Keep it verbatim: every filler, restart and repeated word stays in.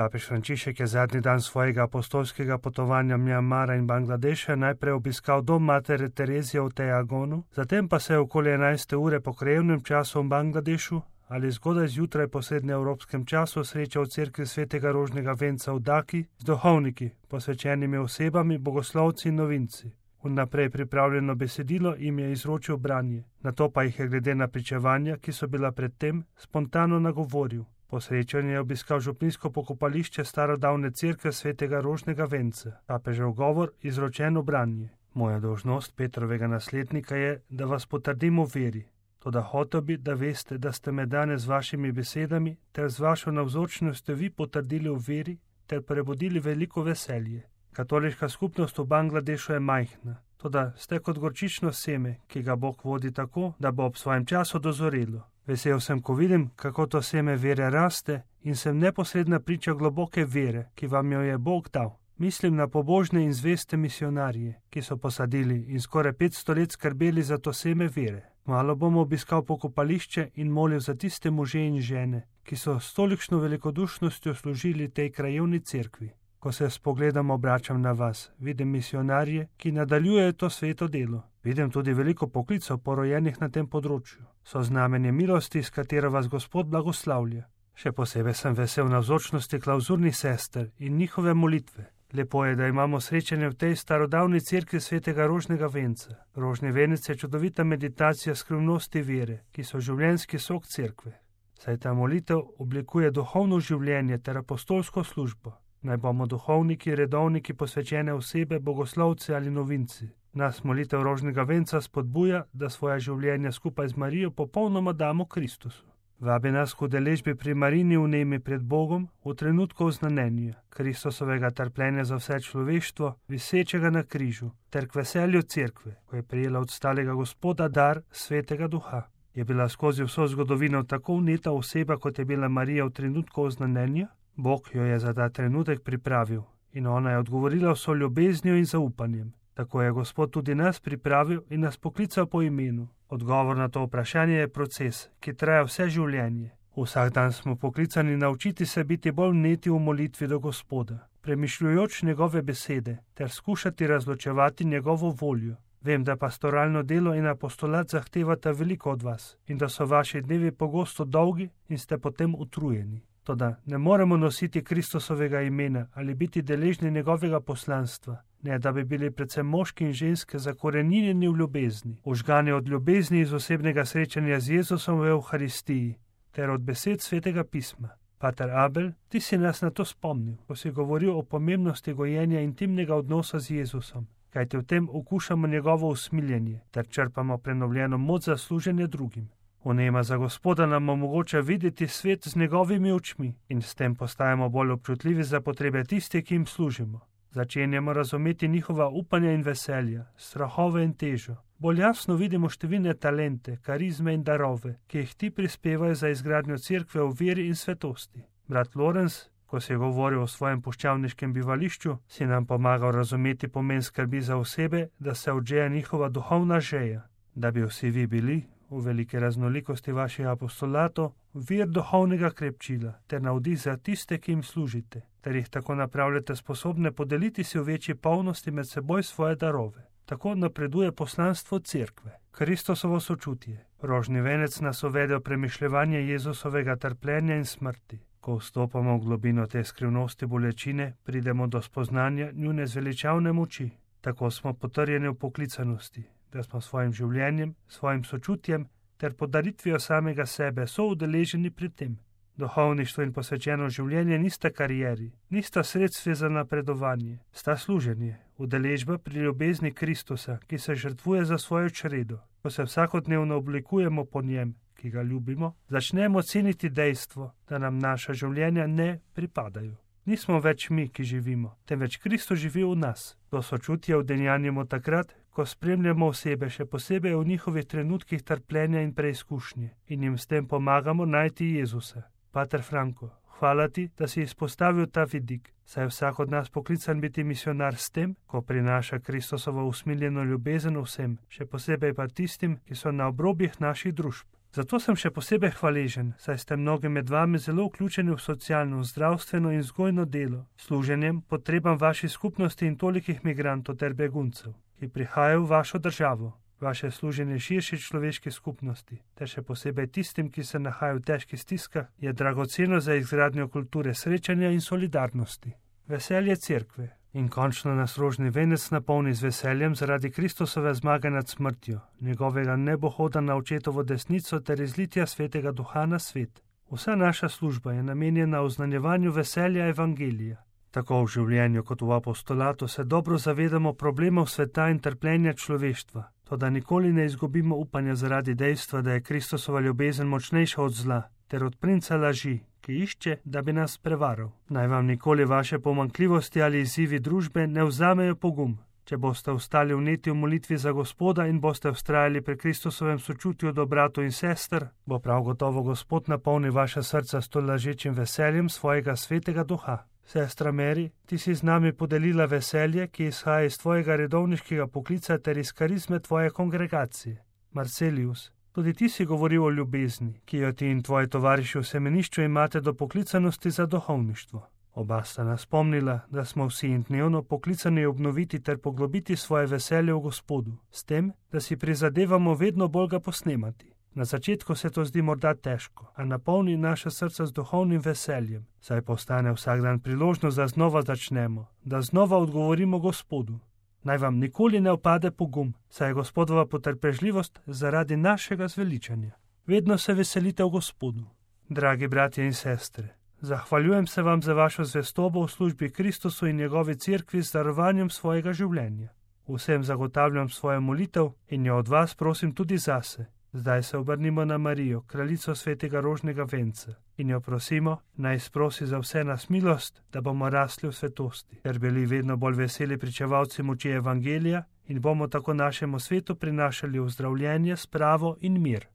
Papež Frančišek je zadnji dan svojega apostolskega potovanja Mjanmara in Bangladeša najprej obiskal dom matere Terezije v Teagonu, zatem pa se je okoli enajste ure po krajevnem času v Bangladešu ali zgodaj zjutraj po srednjeevropskem času srečal v cerkvi svetega Rožnega venca v Daki z duhovniki, posvečenimi osebami, bogoslovci in novinci. Vnaprej pripravljeno besedilo jim je izročil branje, nato pa jih je glede na pričevanja, ki so bila predtem, spontano nagovoril. Po srečanju je obiskal župnijsko pokopališče starodavne cerkve svetega Rožnega venca. Papežev govor, izročeno branje. Moja dolžnost Petrovega naslednika je, da vas potrdim v veri. Toda hotel bi, da veste, da ste me danes z vašimi besedami ter z vašo navzočnostjo vi potrdili v veri ter prebudili veliko veselje. Katoliška skupnost v Bangladešu je majhna, toda ste kot gorčično seme, ki ga Bog vodi tako, da bo ob svojem času dozorelo. Vesel sem, ko vidim, kako to seme vere raste in sem neposredna priča globoke vere, ki vam jo je Bog dal. Mislim na pobožne in zveste misionarje, ki so posadili in skoraj petsto let skrbeli za to seme vere. Malo bom obiskal pokopališče in molil za tiste može in žene, ki so s tolikšno velikodušnostjo služili tej krajevni cerkvi. Ko se s pogledom obračam na vas, vidim misionarje, ki nadaljujejo to sveto delo. Vidim tudi veliko poklicov porojenih na tem področju. So znamenje milosti, s katero vas Gospod blagoslavlja. Še posebej sem vesel navzočnosti klauzurnih sester in njihove molitve. Lepo je, da imamo srečanje v tej starodavni cerkvi svetega Rožnega venca. Rožni venec je čudovita meditacija skrivnosti vere, ki so življenjski sok cerkve. Saj ta molitev oblikuje duhovno življenje ter apostolsko službo. Naj bomo duhovniki, redovniki, posvečene osebe, bogoslovci ali novinci. Nas molitev Rožnega venca spodbuja, da svoja življenja skupaj z Marijo popolnoma damo Kristusu. Vabi nas k udeležbi pri Marini vnemi pred Bogom v trenutku oznanjenja Kristusovega trpljenja za vse človeštvo, visečega na križu, ter k veselju cerkve, ko je prijela od stalega Gospoda dar svetega duha. Je bila skozi vso zgodovino tako vneta oseba, kot je bila Marija v trenutku oznanjenja? Bog jo je za ta trenutek pripravil in ona je odgovorila vso ljubeznijo in zaupanjem. Tako je Gospod tudi nas pripravil in nas poklical po imenu. Odgovor na to vprašanje je proces, ki traja vse življenje. Vsak dan smo poklicani naučiti se biti bolj vneti v molitvi do Gospoda, premišljujoč njegove besede ter skušati razločevati njegovo voljo. Vem, da pastoralno delo in apostolat zahtevata veliko od vas in da so vaši dnevi pogosto dolgi in ste potem utrujeni. Toda ne moremo nositi Kristusovega imena ali biti deležni njegovega poslanstva, ne da bi bili predvsem moški in ženske zakorenjeni v ljubezni, užgani od ljubezni iz osebnega srečanja z Jezusom v Evharistiji ter od besed svetega pisma. Pater Abel, ti si nas na to spomnil, ko si govoril o pomembnosti gojenja intimnega odnosa z Jezusom, kajti v tem okušamo njegovo usmiljenje ter črpamo prenovljeno moč za služenje drugim. Vnema za Gospoda nam omogoča videti svet z njegovimi očmi in s tem postajamo bolj občutljivi za potrebe tiste, ki jim služimo. Začenjamo razumeti njihova upanja in veselja, strahove in težo. Bolj jasno vidimo številne talente, karizme in darove, ki jih ti prispevajo za izgradnjo cerkve v veri in svetosti. Brat Lorenz, ko si je govoril o svojem puščavniškem bivališču, si nam pomagal razumeti pomen skrbi za osebe, da se odžeja njihova duhovna žeja, da bi vsi vi bili v velike raznolikosti vaših apostolatov, vir duhovnega krepčila ter navdih za tiste, ki jim služite, ter jih tako napravljate sposobne podeliti si v večji polnosti med seboj svoje darove. Tako napreduje poslanstvo cerkve. Kristusovo sočutje. Rožni venec nas uvede v premišljevanje Jezusovega trpljenja in smrti. Ko vstopamo v globino te skrivnosti bolečine, pridemo do spoznanja njune zveličavne moči. Tako smo potrjeni v poklicanosti, da smo svojim življenjem, svojim sočutjem ter podaritvijo samega sebe soudeleženi pri tem. Duhovništvo in posvečeno življenje nista karieri, nista sredstvi za napredovanje, sta služenje, udeležba pri ljubezni Kristusa, ki se žrtvuje za svojo čredo. Ko se vsakodnevno oblikujemo po njem, ki ga ljubimo, začnemo ceniti dejstvo, da nam naša življenja ne pripadajo. Nismo več mi, ki živimo, temveč Kristus živi v nas. To sočutje udejanjamo takrat, ko spremljamo osebe, še posebej v njihovih trenutkih trpljenja in preizkušnje, in jim s tem pomagamo najti Jezusa. Pater Franko, hvala ti, da si izpostavil ta vidik, saj je vsak od nas poklican biti misionar s tem, ko prinaša Kristusovo usmiljeno ljubezen vsem, še posebej pa tistim, ki so na obrobjih naših družb. Zato sem še posebej hvaležen, saj ste mnogi med vami zelo vključeni v socialno, zdravstveno in vzgojno delo, služenjem potrebam vaših skupnosti in tolikih migrantov ter beguncev, ki prihajajo v vašo državo. Vaše služenje širši človeški skupnosti, ter še posebej tistim, ki se nahajajo v težkih stiskah, je dragoceno za izgradnjo kulture srečanja in solidarnosti. Veselje cerkve. In končno nas rožni venec napolni z veseljem zaradi Kristusove zmage nad smrtjo, njegovega nebohoda na očetovo desnico ter izlitja svetega duha na svet. Vsa naša služba je namenjena oznanjevanju veselja evangelija. Tako v življenju kot v apostolatu se dobro zavedamo problemov sveta in trpljenja človeštva, toda nikoli ne izgubimo upanja zaradi dejstva, da je Kristusova ljubezen močnejša od zla ter od princa laži, ki išče, da bi nas prevaral. Naj vam nikoli vaše pomanjkljivosti ali izzivi družbe ne vzamejo pogum. Če boste ostali vneti v molitvi za Gospoda in boste vztrajali pri Kristusovem sočutju do bratov in sester, bo prav gotovo Gospod napolnil vaša srca s to lažečim veseljem svojega svetega duha. Sestra Mary, ti si z nami podelila veselje, ki izhaja iz tvojega redovniškega poklica ter iz karizme tvoje kongregacije. Marcelius, tudi ti si govoril o ljubezni, ki jo ti in tvoji tovariši v semenišču imate do poklicanosti za duhovništvo. Oba sta nas spomnila, da smo vsi in dnevno poklicani obnoviti ter poglobiti svoje veselje v Gospodu, s tem, da si prizadevamo vedno bolj ga posnemati. Na začetku se to zdi morda težko, a napolni naše srca z duhovnim veseljem, saj postane vsak dan priložnost, da znova začnemo, da znova odgovorimo Gospodu. Naj vam nikoli ne opade pogum, saj je Gospodova potrpežljivost zaradi našega zveličanja. Vedno se veselite v Gospodu. Dragi bratje in sestre, zahvaljujem se vam za vašo zvestobo v službi Kristusu in njegovi cerkvi z darovanjem svojega življenja. Vsem zagotavljam svojo molitev in jo od vas prosim tudi zase. Zdaj se obrnimo na Marijo, kraljico svetega rožnega venca, in jo prosimo, naj sprosi za vse nas milost, da bomo rasli v svetosti, ter bili vedno bolj veseli pričevalci moči evangelija in bomo tako našemu svetu prinašali ozdravljenje, spravo in mir.